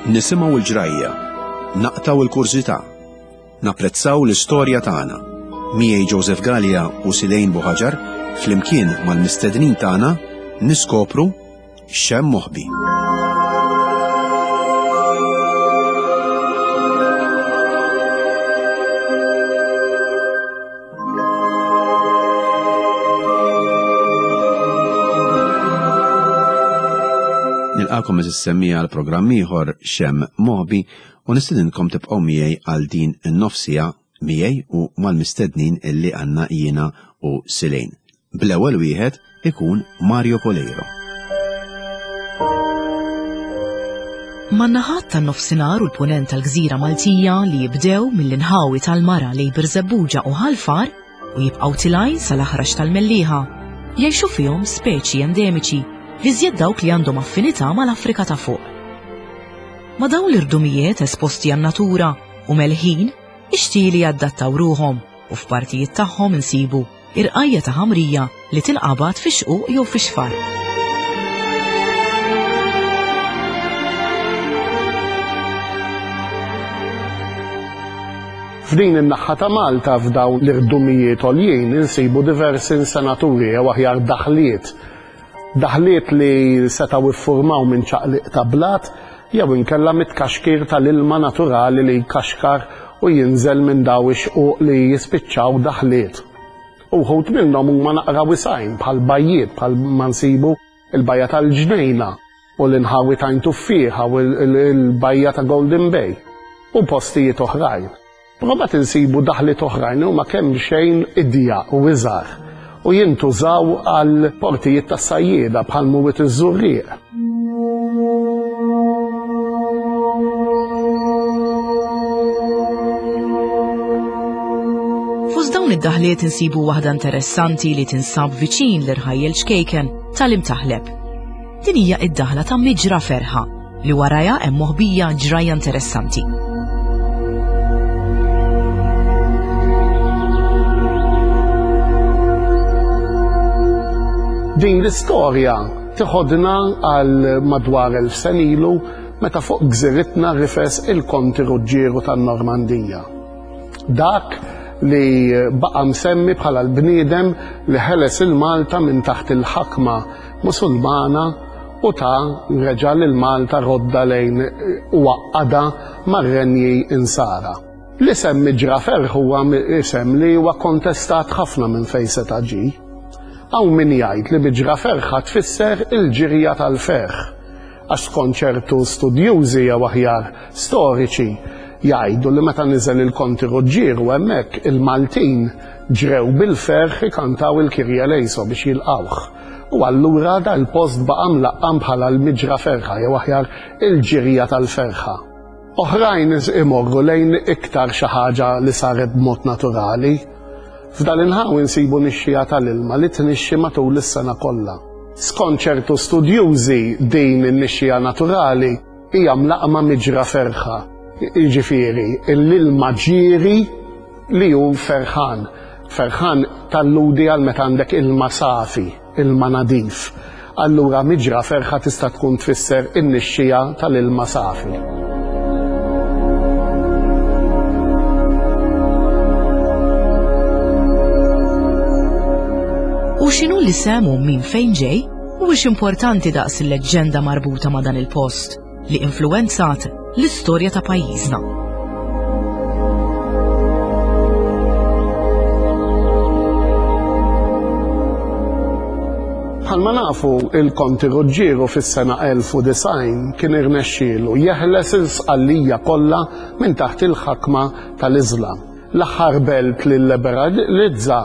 Nisimgħu l-ġrajja, naqtgħu l-kurżità, napprezzaw l-istorja tagħna. Miegħi Joseph Galea u Silejn Buħaġar flimkien mal-mistednin tagħna niskopru x'hemm moħbi. Nilqakom eżis semmija għal programm ieħor Xem Moħbi u nistedinkom tibqgħu miegħi għal din in-nofsija miegħi u mal-mistednin illi għandna jiena u Silejn. Bl-ewwel wieħed ikun Mario Coleiro. Man-naħat tan-Nofsinhar u l-Punent tal-gżira Maltija li jibdew mill-inħawi tal-Mara lejn Birżebbuġa u Ħal Far u jibqgħu tilgħin sal-aħrax tal-Mellieħa, jgħixu fihom speċi endemiċi, l-iżjed dawk li għandhom affinità mal-Afrika ta' Fuq. Ma' dawn l-irdumijiet esposti għan-natura u melħin, ix-xtieli jadattaw ruħhom u f'partijiet tagħhom insibu irqajja ta' ħamrija li tinqabad fix-xquq jew fix-xfar. F'din in-naħa ta' Malta f'dawn l-irdumijiet għoljin insibu diversi insenaturi jew aħjar daħliet. Daħliet li setgħu iffurmaw minn ċaqliq ta' blat jew inkella mit-tkaxkir tal-ilma naturali li jkaxkar u jinżel minn daw ix-xquq li jispiċċaw daħliet. Uħud minnhom huma naqra wisgħin bħal bajjiet bħal ma nsibu il-bajja tal-Ġnejna u l-inħawi ta' Għajn Tuffieħa u l-bajja ta' Golden Bay u postijiet oħrajn. Però mbagħad insibu daħliet oħrajn li huma kemxejn idjaq u iżgħar u jintużaw għal portijiet tas-sajjieda bħal Mwiet iż-Żurrieq. Fost dawn id-daħliet insibu waħda interessanti li tinsab viċin l-irħajjel ċkejken tal-Imtaħleb. Din hija id-daħla ta' Miġra Ferħa li warajha hemm moħbija ġrajja interessanti. Din l-istorja tiħodna għal madwar 1000 sen ilu meta fuq gżiritna rifes il-Konti Ruġġieru tan-Normandija. Dak li baqa' msemmi bħala l-bniedem li ħeles il-Malta minn taħt il-ħakma Musulmana u ta reġa' lil Malta rodda lejn u għaqqadha mar-renji Insara. L-isem Miġra Ferħ huwa isem li huwa kontestat ħafna minn fejn seta' ġie. Hawn min jgħid li Miġra Ferħa tfisser il-ġirja tal-ferħ, għax skont ċertu studjużi jew aħjar storiċi jgħidu li meta niżel il-Konti Ruġġieru hemmhekk il-Maltin ġrew bil-ferħ ikantaw il-Kyrie Eleison biex jilqgħuh. U allura dal-post baqa' mlaqqam bħala l-Miġra Ferħa jew aħjar il-Ġirja tal-Ferħa. Oħrajn imorru lejn iktar xi ħaġa li saret b'mod naturali. F'dal-inħawi nsibu nixxiegħa tal-ilma li tnixxi matul is-sena kollha. Skont ċertu studjużi din in-nixxiegħa naturali hija mlaqqma Miġra Ferħa, jiġifieri l-ilma ġieri li hu ferħan. Ferħan talludi għal meta għandek ilma safi, ilma nadif. Allura miġra ferħa tista' tkun tfisser in-nixxija tal-ilma safi. U x'inhu l-isem u min fejn ġej, mhuwiex importanti daqs il-leġġenda marbuta ma' dan il-post. li influwenzat l-istorja ta' pajjiżna. Bħalma nafu, il-Konti Ruġġieru fis-sena 1090 kien irnexxielu jeħles il-Sqallija kollha minn taħt il-ħakma tal-Iżlam. L-aħħar belt li lliberalizza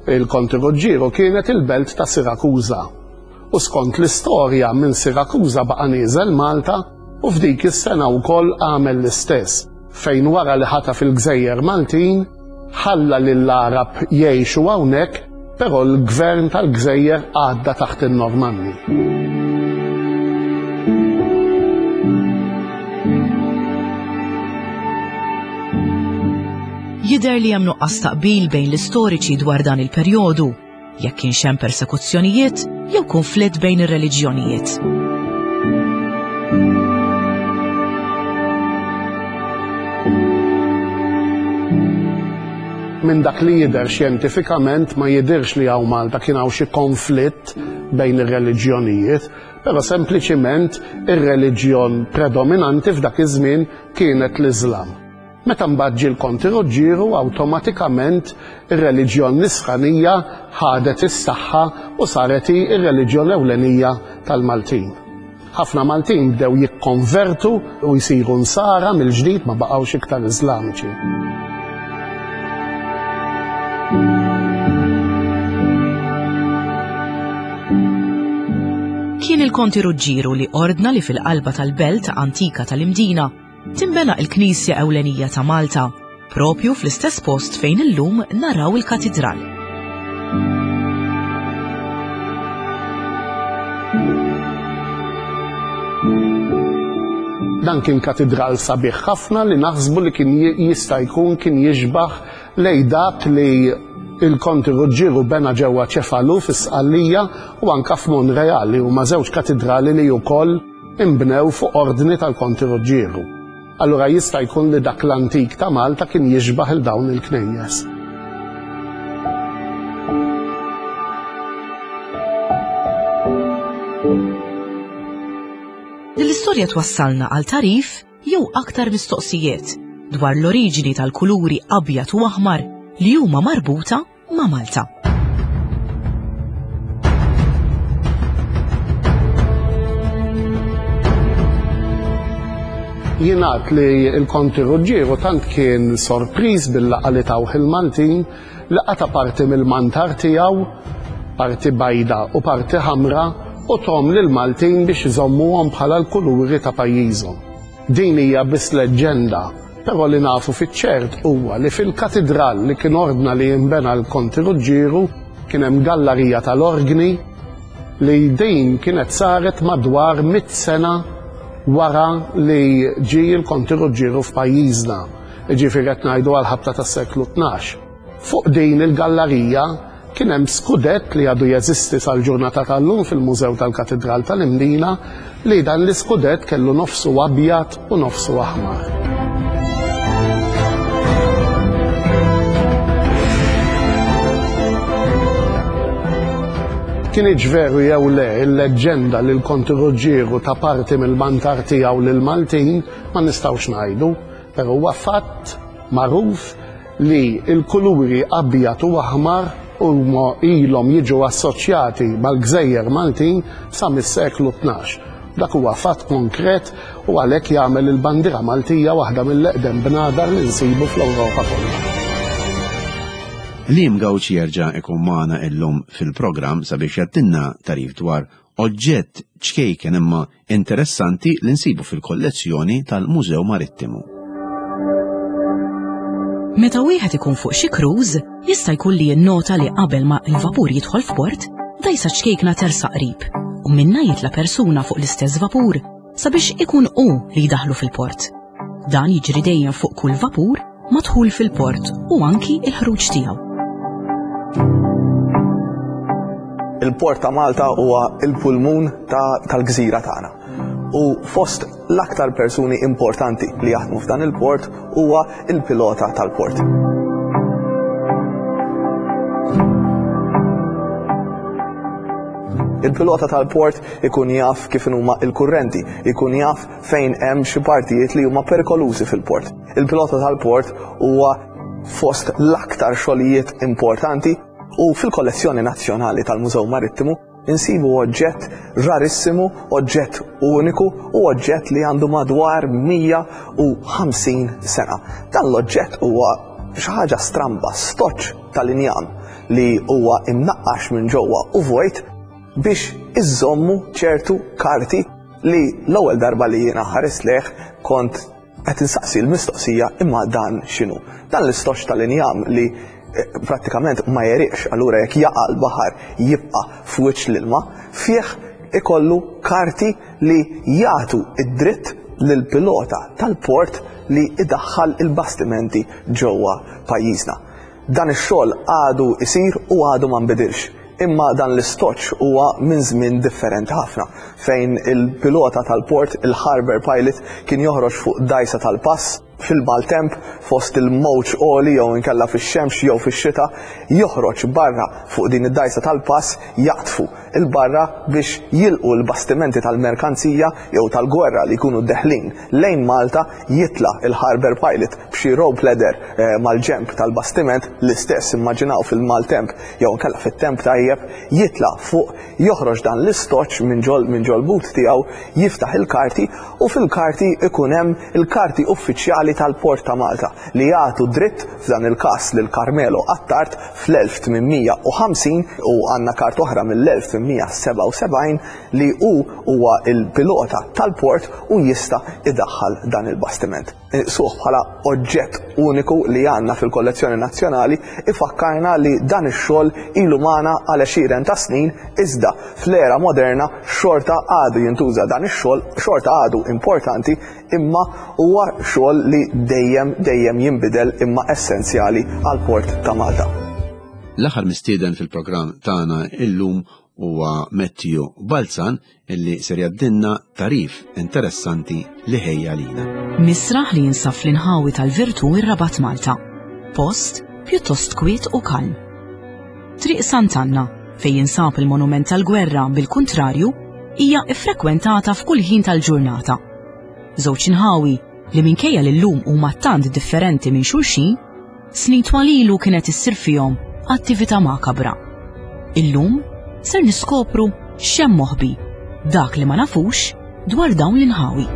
il-Konti Ruġġieru kienet il-belt ta' Sirakuża. U skont l-istorja minn Sirakuża baqa' nieżel Malta u f'dik is-sena wkoll għamel l-istess, fejn wara li ħataf il-gżejjer Maltin, ħalla lill-Għarab jgħixu hawnhekk, però l-gvern tal-gżejjer għadda taħt in-Normanni. Jidher li hemm nuqqas ta' qbil bejn l-istoriċi dwar dan il-perjodu. jekk kienx hemm persekuzzjonijiet jew kunflitt bejn ir-reliġjonijiet. Minn dak li jidher xjentifikament ma jidhirx li hawn Malta kien hawn xi konflitt bejn ir-reliġjonijiet, però sempliċiment ir-reliġjon predominanti f'dak iż-żmien kienet l-Iżlam. Meta mbagħad ġie l-Konti Ruġġieru awtomatikament ir-reliġjon Nisranija ħadet is-saħħa u saret hi r-reliġjon ewlenija tal-Maltin. Ħafna Maltin bdew jikkonvertu u jsiru Nsara mill-ġdid ma baqgħux iktar Iżlamiċi. Kien il-Konti Ruġġieru li ordna li fil-qalba tal-belt antika tal-Imdina tinbena il-knisja ewlenija ta' Malta, propju fl-istess post fejn illum naraw il-katidral. Dan kien katidral sabiħ ħafna li naħsbu li kien jista' jkun kien jixbaħ lej dak li il-Konti Ruġġieru bena ġewwa Ċefalu fis-Sqallija u anka f'Monreal li huma żewġ katidrali li wkoll inbnew fuq ordni tal-Konti Ruġġieru. Allura jista' jkun li dak l-antik ta' Malta kien jixbah il dawn il-knejjes. Din l-istorja twassalna għal tarif jew aktar mistoqsijiet dwar l-oriġini tal-kuluri abjad u aħmar li huma marbuta ma' Malta. Jingħad li l-Konti Ruġġieru tant kien sorpriż bil-laqgħa li tawh il-Maltin li qata' parti mill-mantar tiegħu, parti bajda u parti ħamra, u thom lill-Maltin biex iżommuhom bħala l-kuluri ta' pajjiżhom. Din hija biss leġġenda, però li nafu fiċ-ċert huwa li fil-katidral li kien ordna li jinbena l-Konti Ruġġieru kien hemm gallarija tal-orgni li din kienet saret madwar mit sena wara li ġie l-Konti Ruġġieru f'pajjiżna, jiġifieri qed ngħidu għall-ħabta tas-seklu 12. Fuq din il-gallarija Kien hemm skudett li għadu jeżisti sal-ġurnata tal-lum fil-Mużew tal-Katidral tal-Imdina li dan l-iskudett kellu nofsu abjad u nofsu aħmar. Kinitx veru jew le il-leġġenda li l-Konti Ruġġieru ta parti mill-mantar tiegħu lill-Maltin ma nistgħux ngħidu, però huwa fatt magħruf li l-kuluri abjad u aħmar huma ilhom jiġu assoċjati mal-gżejjer Maltin sa mis-seklu 12. Dak huwa fatt konkret u għalhekk jagħmel il-bandiera Maltija waħda mill-eqdem bnadar li nsibu fl-Ewropa kollha. Liam Gauci jerġa' ikun magħna illum fil-programm sabiex jgħaddilna tagħrif dwar oġġett ċkejken imma interessanti li nsibu fil-kollezzjoni tal-Mużew Marittimu. Meta wieħed ikun fuq xi cruise, jista' jkun li jinnota li qabel ma l-vapur jidħol f'port, dgħajsa ċkejkna tersaq qrib u minnha jitla' persuna fuq l-istess vapur sabiex ikun hu li jdaħħlu fil-port. Dan jiġri dejjem fuq kull vapur madħul fil-port u anki il-ħruġ tiegħu. Il-port ta' Malta huwa il-pulmun tal-gżira tagħna. U fost l-aktar persuni importanti li jaħdmu f'dan il-port huwa il-pilota tal-port. Il-pilota tal-port ikun jaf kif huma il-kurrenti, ikun jaf fejn hemm xi partijiet li huma perikolużi fil-port. Il-pilota tal-port huwa fost l-aktar xogħlijiet importanti u fil-kollezzjoni nazzjonali tal-Mużew Marittimu insibu oġġett rarissimu, oġġett uniku u oġġett li għandu madwar 150 sena. Dan l-oġġett huwa xi ħaġa stramba, stoċ tal-injam li huwa imnaqqax minn ġewwa u vojt biex iżommu ċertu karti li l-ewwel darba li jiena ħarist lejh kont qed insaqsi l-mistoqsija imma dan x'inhu. Dan l-istoċ tal-injam li eh, prattikament ma jeriqx, allura jekk jaqa' l-baħar jibqa' f'wiċċ l-ilma, fih ikollu karti li jagħtu id-dritt lill-pilota tal-port li idaħħal il-bastimenti ġewwa pajjiżna. Dan ix-xogħol għadu jsir u għadu ma nbidilx. Imma dan l-istoċ huwa minn żmien differenti ħafna, fejn il-pilota tal-port, il-harbour pilot, kien joħroġ fuq dgħajsa tal-pass. Fil-maltemp, fost il-mowġ għoli jew inkella fix-xemx jew fix-xita, joħroġ barra fuq din id-dgħajsa tal-pass jaqdfu 'l barra biex jilqu l-bastimenti tal-merkanzija jew tal-gwerra li jkunu deħlin lejn Malta, jitla' l-harbour pilot b'xi rope ladder mal-ġenb tal-bastiment, l-istess immaġinaw fil-maltemp jew inkella fit-temp tajjeb, jitla' fuq, joħroġ dan l-istoċċ minn ġol minn ġol-but tiegħu, jiftaħ il-karti u fil-karti jkun hemm il-karti uffiċjali tal-Port ta' Malta li jagħtu dritt f'dan il-każ lil Carmelo Attard fl-1850 u għandna kart oħra mill-1877 li hu huwa l-pilota tal-port u jista' idaħħal dan il-bastiment. Inqisuh bħala oġġett uniku li għandna fil-kollezzjoni nazzjonali ifakkarna li dan ix-xogħol ilu magħna għal għexieren ta' snin iżda fl-era moderna xorta għadu jintuża dan ix-xogħol, xorta għadu importanti imma huwa xogħol li dejjem dejjem jinbidel imma essenzjali għall-Port ta' Malta. L-aħħar mistieden fil-programm tagħna illum huwa Matthew Balzan illi ser jgħaddilna tagħrif interessanti li ħejja lina. Misraħ li jinsab fl-inħawi tal-Virtù ir-Rabat Malta. Post pjuttost kwiet u kalm. Triq Sant'Anna, fejn jinsab il-Monument tal-Gwerra bil-kuntrarju, hija ffrekwentata f'kull ħin tal-ġurnata. Żewġ inħawi li minkejja li llum huma tant differenti minn xulxin, Snin twal ilu kienet issir fihom attività makabra. Illum ser niskopru x'hemm moħbi, dak li ma nafux dwar dawn l-inħawi.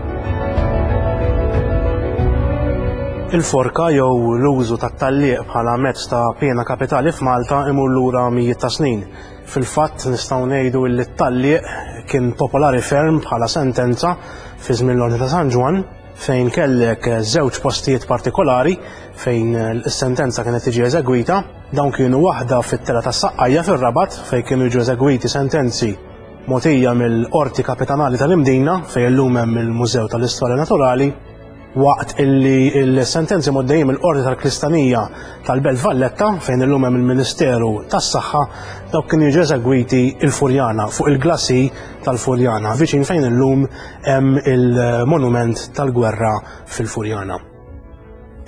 Il-forka jew l-użu tat-tgħalliq bħala mezz ta' piena kapitali f'Malta imur lura mijiet ta' snin. Fil-fatt nistgħu ngħidu li t-tgħalliq kien popolari ferm bħala sentenza fi żmien l-Ordni ta' San Ġwann fejn kellek żewġ postijiet partikolari fejn is-sentenza kienet tiġi eżegwita. Dawn kienu waħda fit-tela tas-Saqqajja fir-Rabat fejn kienu jiġu eżegwiti sentenzi mogħtija mill-Qorti Kapitanali tal-Imdina fejn illum hemm il-Mużew tal-Istorja Naturali waqt illi l-sentenzi moddejjin mill-Qorti tal-Kristanija tal-Belt Valletta fejn illum hemm il-Ministeru tas-Saħħa dawk kienu jiġu eżegwiti il-Furjana fuq il-glasi tal-Furjana viċin fejn illum hemm il-monument tal-gwerra fil-Furjana.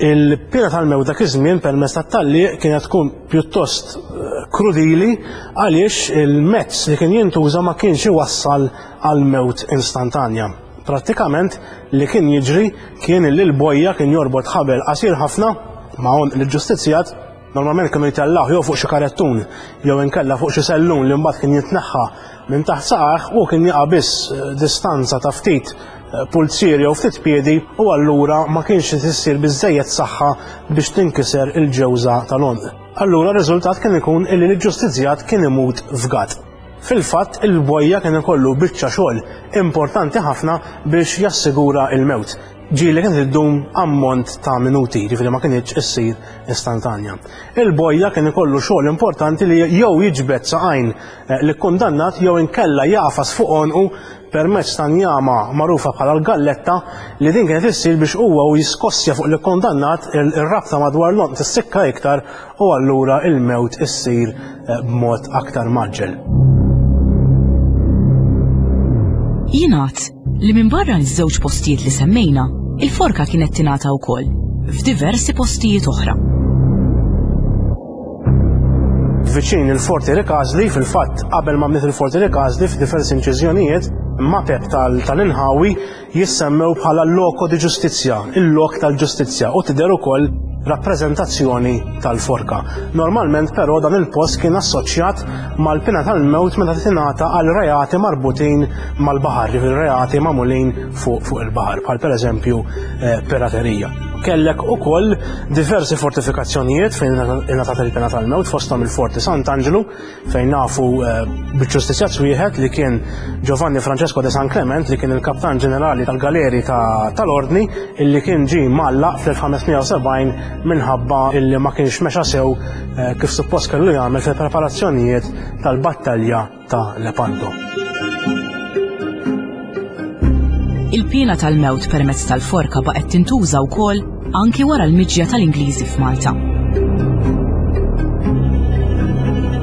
Il-pena tal-mewt dak iż-żmien permezz tat-tgħalliq kienet tkun pjuttost eh, krudili għaliex il-mezz li kien jintuża ma kienx iwassal għal mewt instantanja. Prattikament li kien jiġri kien li l-bojja kien jorbot ħabel qasir ħafna ma' għonq l-ġustizzjat Normalment kienu jtellgħuh jew fuq xi karettun jew inkella fuq xi sellun li mbagħad kien jitneħħa minn taħt saqajh u kien jaqa' biss eh, distanza ta' ftit eh, pulzier jew ftit piedi u allura ma kienx issir biżejjed saħħa biex tinkiser il-ġewża tal-għonq. Allura r-riżultat kien ikun illi l-ġustizzjat kien imut fgat. Fil-fatt, il-bojja kien ikollu biċċa xogħol importanti ħafna biex jassigura il-mewt. Ġieli kienet iddum ammont ta' minuti, ġifieri ma kinitx issir istantanja. Il-bojja kien ikollu xogħol importanti li jew jiġbed saqajn eh, li kundannat jew inkella jagħfas fuq għonqu permezz ta' njama magħrufa bħala l-galletta li din kienet issir biex huwa u jiskossja fuq li kundannat ir-rabta madwar l-għonq tissikka iktar u allura il-mewt issir eh, b'mod aktar maġġel. Jingħad li minbarra ż-żewġ postijiet li semmejna, il-forka kienet tingħata wkoll f'diversi postijiet oħra. Viċin il-Forti Rikażli, fil-fatt qabel ma bniet il-Forti Rikażli f'diversi inċiżjonijiet, mapep tal-inħawi jissemmew bħala loco di giustizia, il-lok tal-ġustizzja, u tidher ukoll rappreżentazzjoni tal-forka. Normalment però dan il-post kien assoċjat mal-pena tal-mewt meta tingħata għal reati marbutin mal-baħar, jiġifieri reati magħmulin fuq fuq il-baħar, bħal pereżempju eh, piraterija. Kellek ukoll diversi fortifikazzjonijiet fejn ingħatat il-pena tal-mewt fosthom il-Forti Sant'Anġlu, fejn nafu eh, bil-ġustizzjat wieħed li kien Giovanni Francesco de San Clement li kien il-kaptan ġenerali tal-galeri tal-ordni illi kien ġie mgħallaq fl-1570 minħabba illi ma kienx mexa sew eh, kif suppost kellu jagħmel fil-preparazzjonijiet tal-battalja ta' Lepanto. Il-piena tal-mewt permezz tal-forka baqgħet tintuża wkoll anki wara l-miġja tal-Ingliżi f'Malta.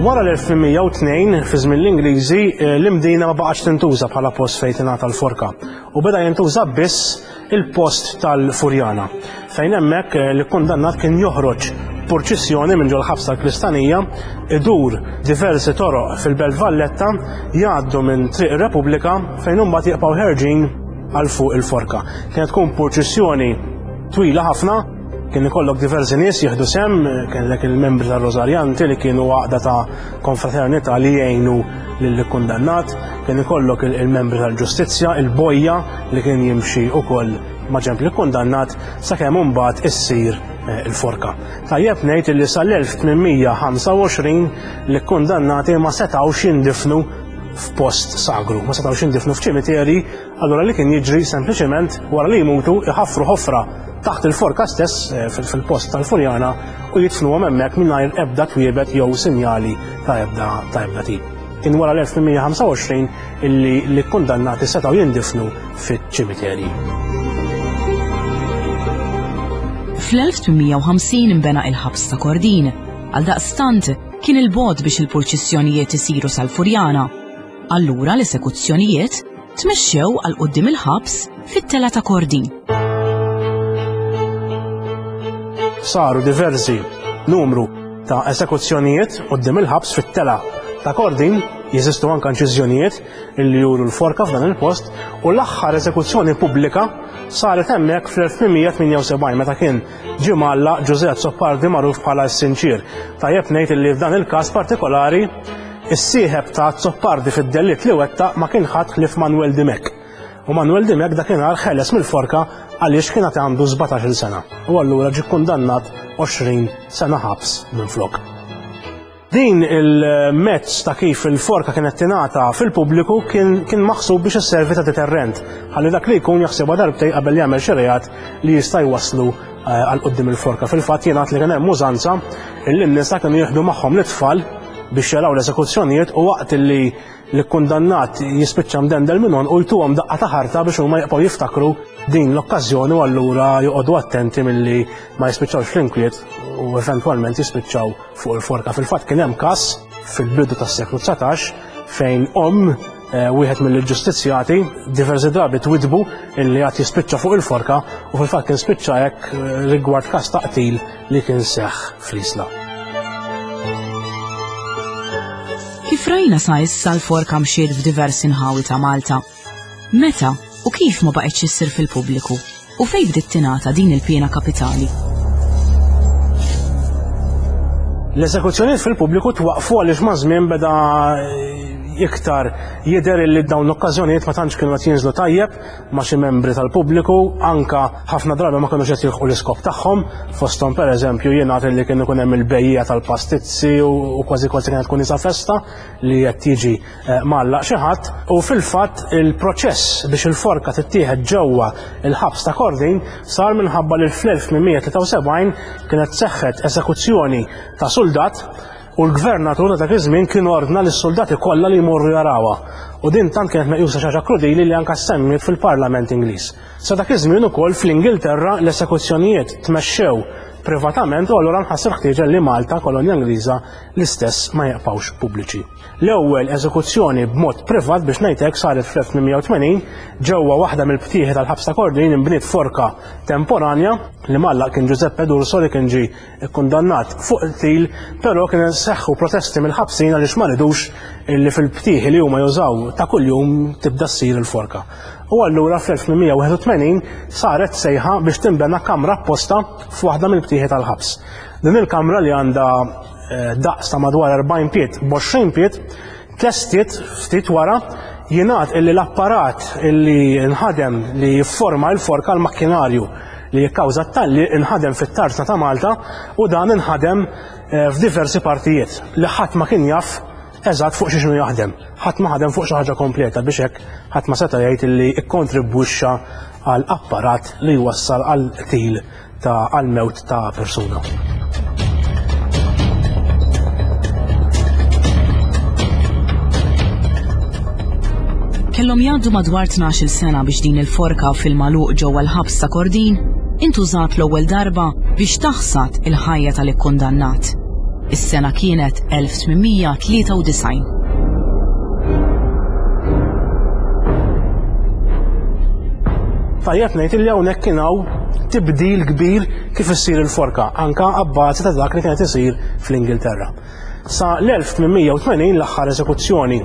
Wara l-1802, fi żmien l-Ingliżi, eh, l-Imdina ma baqgħetx tintuża bħala post fejn tingħata l-forka u beda jintuża biss il-post tal-Furjana, fejn hemmhekk eh, l-kundannat kien joħroġ purċissjoni minn ġol-ħabs tal-Kristanija, idur diversi toroq fil-Belt Valletta, jgħaddu minn Triq ir-Repubblika fejn imbagħad jibqgħu ħerġin għal fuq il-forka. Kienet tkun purċissjoni twila ħafna, kien ikollok diversi nies jieħdu sem, kellek il-membri tar-Rosarjanti li kienu għaqda ta' konfraternità li jgħinu lill-kundannat, kien ikollok il-membri tal-ġustizzja, il-bojja li kien jimxi ukoll ma' ġenb l-kundannat sakemm imbagħad issir eh, il-forka. Tajjeb ngħid li sal-1825 l-kundannati ma setgħux jindifnu f'post sagru, ma setgħux jindifnu f'ċimiteri Allura li kien jiġri sempliċement wara li jmutu iħaffru ħofra taħt il-forka stess eh, fil-post tal-Furjana u jidfnuhom hemmhekk mingħajr ebda twiebet jew sinjali ta' ebda ta' ebda tip. Kien wara l-1825 illi l-kundannati setgħu jindifnu fiċ-ċimiterji. Fl-1850 imbena il-ħabs ta' Kordin, għaldaqstant kien il-bogħod biex il-purċissjonijiet isiru sal-Furjana. Allura l-esekuzzjonijiet tmexxew għal quddiem il-ħabs fit-tela ta' Kordin. Saru diversi numru ta' esekuzzjonijiet quddiem il-ħabs fit-tela ta' Kordin, jeżistu anke inċiżjonijiet li juru l-forka f'dan il-post, u l-aħħar esekuzzjoni pubblika saret hemmhekk fl-1878 meta kien ġie mgħallaq Ġużè Azzopardi magħruf bħala s-Sinċier. Tajjeb ngħid li f'dan il-każ partikolari Is-sieħeb ta' Azzopardi fid-delitt li wettaq ma kien ħadd ħlief Manuel Dimech. U Manuel Dimech dakinhar ħeles mill-forka għaliex kien għad għandu 17-il sena u allura ġie kkundannat 20 sena ħabs minflok. Din il-mezz ta' kif il-forka kienet tingħata fil-pubbliku kien, kien maħsub biex isservi ta' deterrent, ħalli dak li jkun jaħsibha darbtej qabel jagħmel xi reat li jista' jwasslu eh, għal quddiem il-forka. Fil-fatt jingħad li kien hemm użanza illi n-nisa kienu jieħdu magħhom l-itfal biex jaraw l-esekuzzjonijiet u waqt li l-kundannat jispiċċa mdendel minn u jtuhom daqqa ta' ħarta biex huma jibqgħu jiftakru din l-okkażjoni u allura joqogħdu attenti milli ma jispiċċawx fl-inkwiet u eventwalment jispiċċaw fuq il-forka. Fil-fatt kien hemm każ fil-bidu tas-seklu 19 fejn omm eh, wieħed mill-ġustizzjati diversi drabi twidbu illi għad jispiċċa fuq il-forka u fil-fatt kien spiċċa hekk eh, rigward każ ta' qtil li kien seħħ fl-Isla. Kif rajna sa issa l-forka mxiet f'diversi nħawi ta' Malta. Meta u kif ma baqgħetx issir fil-pubbliku u fejn bdiet tingħata din il-piena kapitali? L-esekuzzjonijiet fil-pubbliku twaqfu għaliex ma' żmien beda iktar jidher li dawn l-okkażjonijiet ma tantx kienu qed jinżlu tajjeb ma' xi membri tal-pubbliku, anka ħafna drabi ma kinux qed jilħqu l-iskop tagħhom, fosthom pereżempju jingħad li kien ikun hemm il-bejjiegħa tal-pastizzi u kważi kważi kienet tkun isa festa li qed jiġi eh, mgħallaq xi ħadd u fil-fatt il-proċess biex il-forka tittieħed ġewwa il-ħabs ta' Kordin sar minħabba li fl-1873 kienet seħħet esekuzzjoni ta' suldat U l-gvernatur ta' dak iż-żmien kien ordna lis-suldati kollha li jmorru jarawha. U din tant kienet meqjusa xi ħaġa krudili li anke ssemmiet fil-Parlament Ingliż. Sa dak iż-żmien ukoll fl-Ingilterra l-esekuzzjonijiet tmexxew privatament u allura nħass il-ħtieġa li Malta, kolonja Ingliża, l-istess ma jibqgħux pubbliċi. L-ewwel eżekuzzjoni b'mod privat biex ngħid hekk saret fl-1880 ġewwa waħda mill-btieħi tal-ħabs ta' Kordin inbniet forka temporanja li mgħallaq kien Giuseppe D'Urso li kien ġie ikkundannat fuq qtil, però kien seħħu protesti mill-ħabsin għaliex ma ridux li fil-btieħi li huma jużaw ta' kuljum tibda ssir il-forka. U allura fl-1881 saret sejħa biex tinbena kamra apposta f'waħda mill-btieħi tal-ħabs. Din il-kamra li għandha eh, daqs ta' madwar 40 pied b'20 pied tlestiet ftit wara jingħad illi l-apparat illi nħadem li jifforma l-forka l-makkinarju li jikkawża t-talli inħadem fit-tarzna ta' Malta u dan inħadem eh, f'diversi partijiet li ħadd ma kien jaf eżatt fuq xi jaħdem. Ħadd ma ħadem fuq xi ħaġa kompleta biex hekk ħadd ma seta' jgħid illi kkontribwixxa għal apparat li jwassal għal qtil ta' għall-mewt ta' persuna. Kellhom jgħaddu madwar 12-il sena biex din il-forka fil-magħluq ġewwa l-ħabs ta' Kordin intużat l-ewwel darba biex taħsad il-ħajja tal-ikkundannat. Is-sena kienet 1893. Tajjeb ngħid li hawnhekk kien hawn tibdil kbir kif issir il-forka, anka abbażi ta' dak li kienet isir fl-Ingilterra. Sa l-1880 l-aħħar eżekuzzjoni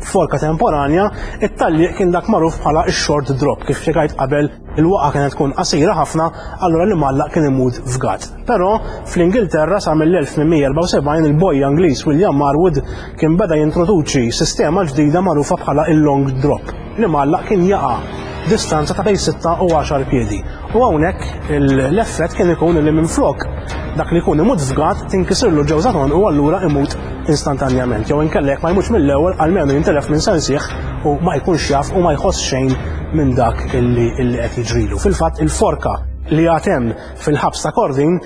forka temporanja, it-talliq kien dak magħruf bħala x-short drop, kif spjegajt qabel il-waqa kienet tkun qasira ħafna, allura li mallaq kien imut fgat. Però fl-Ingilterra sa mill-1874 il-bojja Ingliż William Marwood kien beda jintroduċi sistema ġdida magħrufa bħala il-long drop. Li mgħallaq kien jaqa' distanza ta' bejn 6 u 10 piedi. U hawnhekk l-effett kien ikun li minflok dak li jkun imut fgat tinkisirlu ġewża u allura imut instantanjament. Jew inkella jekk ma jmutx mill-ewwel almenu jintilef minn sensih u ma jkunx jaf u ma jħoss xejn minn dak illi qed jiġrilu. Fil-fatt il-forka li għad hemm fil-ħabs ta' Kordin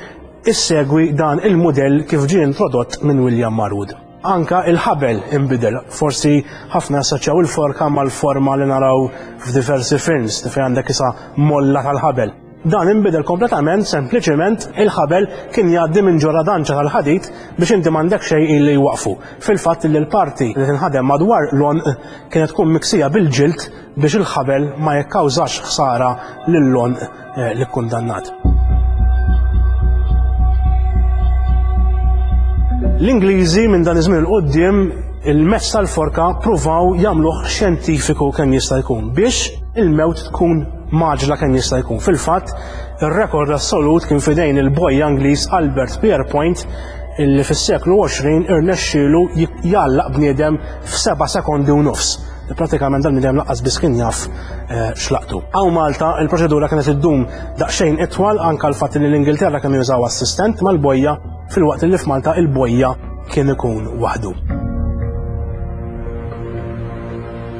issegwi dan il-mudell kif ġie introdott minn William Marwood. Anka il-ħabel inbidel. Forsi ħafna assoċjaw il-forka mal-forma li naraw f'diversi films fejn għandek isa molla tal-ħabel. Dan inbidel kompletament, sempliċement il-ħabel kien jgħaddi minn ġo radanċa tal-ħadid biex inti m'għandek xejn illi jwaqfu. Fil-fatt li l-parti li tinħadem madwar l-għonq kienet tkun miksija bil-ġild biex il-ħabel ma jikkawżax ħsara lill-għonq eh, l-ikkundannat. L-Ingliżi minn dan iż-żmien il-qudiem il-mezz tal-forka pruvaw jagħmluh xjentifiku kemm jista' jkun biex il-mewt tkun maġla kemm jista' jkun. Fil-fatt, ir-rekord assolut kien fidejn il-bojja Ingliż Albert Pierrepoint illi fis-seklu 20 irnexxielu jgħallaq bniedem f'seba' sekondi u nofs. Pratikament dan bniedem laqqas biss kien jaf eh, x'laqtu. Hawn Malta il-proċedura kienet iddum daqsxejn itwal anke l-fatt li l-Ingilterra kienu jużaw assistent mal-bojja filwaqt li f'Malta il-bojja kien ikun waħdu.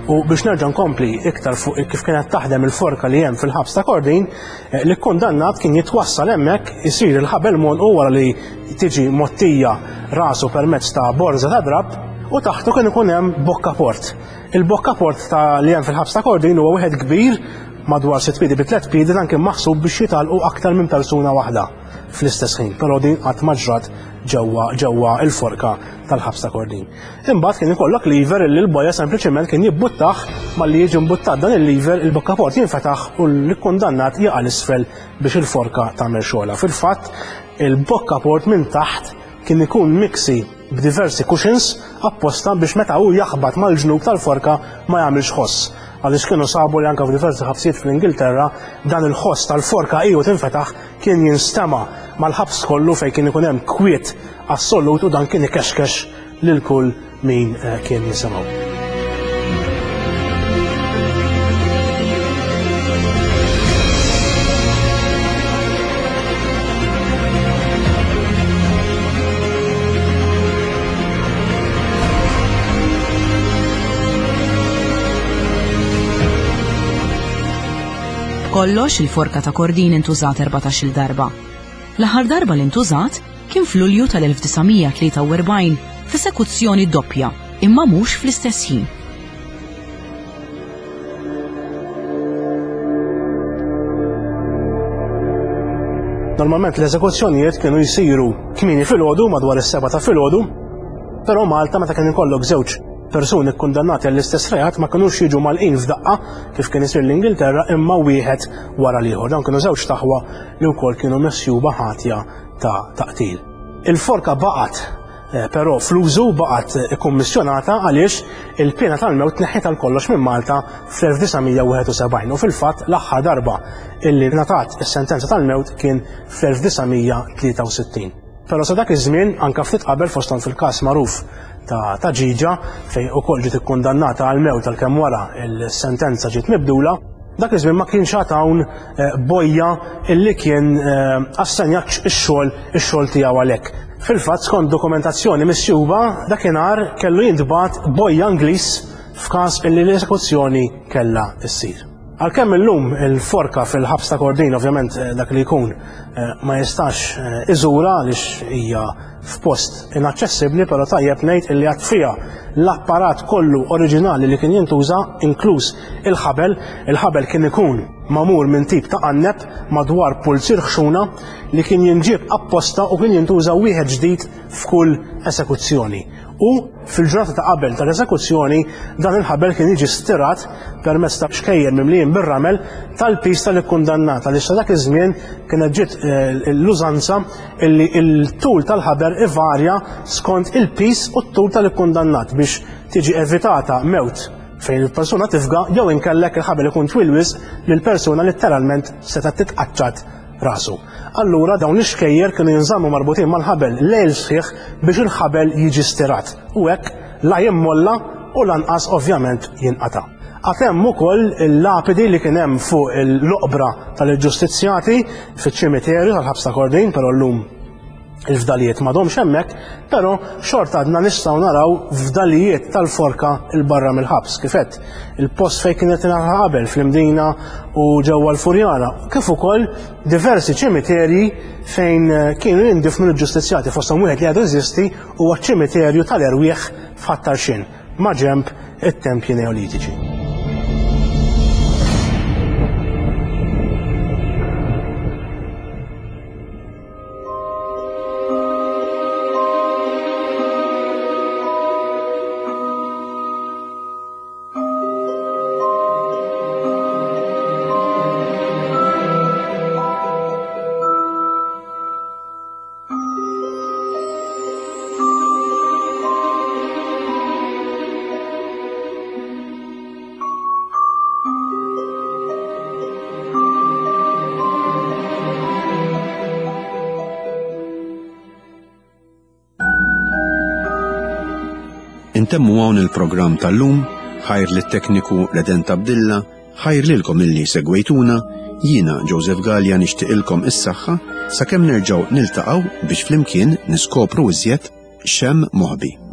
U biex nerġa' nkompli iktar fuq kif kienet taħdem il-forka li hemm fil-ħabs ta' Kordin, eh, li kundannat kien jitwassal hemmhekk isir il-ħabel u wara li tiġi mottija rasu permezz ta' borża ta' drapp u taħtu kien ikun hemm bokkaport. Il-bokkaport ta' li hemm fil-ħabs ta' Kordin huwa wieħed kbir madwar sitt piedi bi tliet piedi dan kien maħsub biex jitalqu aktar minn persuna waħda fl-istess ħin, però din qatt ma ġrat ġewwa ġewwa il-forka tal-ħabs ta' Kordin. Imbagħad kien ikollok lever illi l-boja sempliċement kien jibbuttaħ malli jiġi mbuttat dan il-lever il-bokkaport jinfetaħ u l-kundannat jaqa' l-isfel biex il-forka tagħmel xogħolha. Fil-fatt, il-bokkaport minn taħt kien ikun miksi b'diversi cushions apposta biex meta hu jaħbat mal-ġnub tal-forka ma jagħmilx ħoss. Għaliex kienu sabu li anke f'diversi ħabsijiet fl-Ingilterra dan il-ħoss tal-forka iju tinfetaħ kien jinstema' mal-ħabs kollu fejn kien ikun hemm kwiet assolut u dan kien ikexkex lil kull min eh, kien jisimgħu. B'kollox il-forka ta' Kordin intużat 14-il darba. L-aħħar darba li ntużat kien f'Lulju tal-1943 f'esekuzzjoni doppja, imma mhux fl-istess ħin. Normalment l-eżekuzzjonijiet kienu jsiru kmieni filgħodu madwar is-seba ta' filgħodu, però Malta meta kien ikollok żewġ persuni kkundannati għall-istess reat ma kinux jiġu malqin f'daqqa kif kien isir l-Ingilterra imma wieħed wara l-ieħor. Dawn kienu żewġ taħwa li wkoll kienu misjuba ħatja ta' taqtil. Il-forka baqgħet eh, però fl-użu baqgħet eh, ikkummissjonata għaliex il-piena tal-mewt tneħħiet għal kollox minn Malta fl-1971 u fil-fatt l-aħħar darba illi ngħatat is-sentenza tal-mewt kien fl-1963. Però sa dak iż-żmien anke ftit qabel fosthom fil-każ magħruf ta' ta' Ġiġa fejn ukoll ġiet ikkundannata għal mewt għalkemm wara il-sentenza ġiet mibdula, dak iż-żmien ma kienx għad hawn eh, bojja illi kien eh, assenjat ix-xogħol ix-xogħol tiegħu għalhekk. Fil-fatt skont dokumentazzjoni misjuba dakinhar kellu jintbagħat bojja Ingliż f'każ illi l-esekuzzjoni kellha ssir. Għalkemm illum il-forka fil-ħabs ta' Kordin ovvjament eh, dak li jkun eh, ma jistax eh, iżura għaliex hija f'post inaċċessibbli, però tajjeb ngħid illi għad fiha l-apparat kollu oriġinali li kien jintuża inkluż il-ħabel, il-ħabel kien ikun magħmul minn tip ta' qanneb madwar pulzier ħxuna li kien jinġieb apposta u kien jintuża wieħed ġdid f'kull esekuzzjoni. U fil-ġurnata ta' qabel tal-esekuzzjoni dan il-ħabel kien jiġi stirat permezz ta' xkejjer mimlijin bir-ramel tal-piż tal-ikkundannat għaliex sa dak iż-żmien kienet ġiet eh, l-użanza illi il-tul tal-ħabel ivarja skont il-piż u t-tul tal-ikkundannat biex tiġi evitata mewt fejn il-persuna tifga jew inkellek il-ħabel ikun twil wisq li l-persuna letteralment setgħet titqaċċat rasu. Allura dawn l-ixkejjer kienu jinżammu marbutin mal-ħabel lejl sħiħ biex il-ħabel jiġi stirat u hekk la jimmolla u lanqas ovvjament jinqata'. Għad hemm ukoll il-lapidi li kien hemm fuq l-oqbra tal-ġustizzjati fiċ-ċimiterju tal-ħabs ta' Kordin, però llum il-fdalijiet m'għadhomx hemmhekk, però xorta għadna nistgħu naraw fdalijiet tal-forka il barra mill-ħabs kif għedt. Il-post fejn kienet tingħata qabel fl-Imdina u ġewwa l-Furjana, kif ukoll diversi ċimiterji fejn eh, kienu jindifnu l-ġustizzjati fosthom wieħed li għadu jeżisti huwa ċ-ċimiterju tal-erwieħ f'Ħat-Tarxien ma' ġenb it-tempji Neolitiċi. Intemmu hawn il-programm tal-lum, ħajr lit-tekniku Reden Tabdilla, ħajr lilkom illi segwejtuna, jiena Joseph Gallia nixtieqilkom is-saħħa sakemm nerġgħu niltaqgħu biex flimkien niskopru iżjed x'hemm moħbi.